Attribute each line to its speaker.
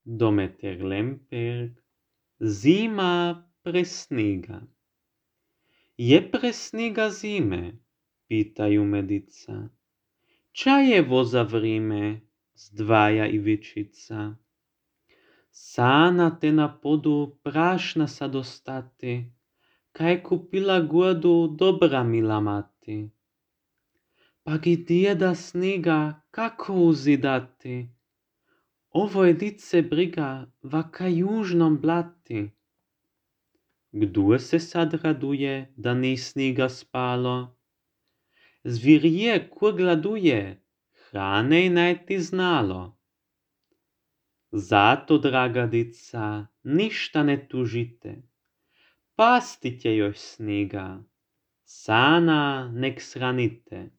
Speaker 1: Dometer lemperg, zima pre sniga. Je pre sniga zime, pitaju medica. Čajevo za vrime, zdvaja ivičica. Sana te na podu prašna sa dostati, kaj kupila guodu dobra mila mati. Pa gdje da sniga, kako uzidati? Ovo je dice briga, vaka južnom blati. Gdje se sad raduje, da ni sniga spalo? Zvirje kur gladuje, hrane najti znalo. Zato, draga dica, ništa ne tužite. Pastite još sniga, sana nek sranite.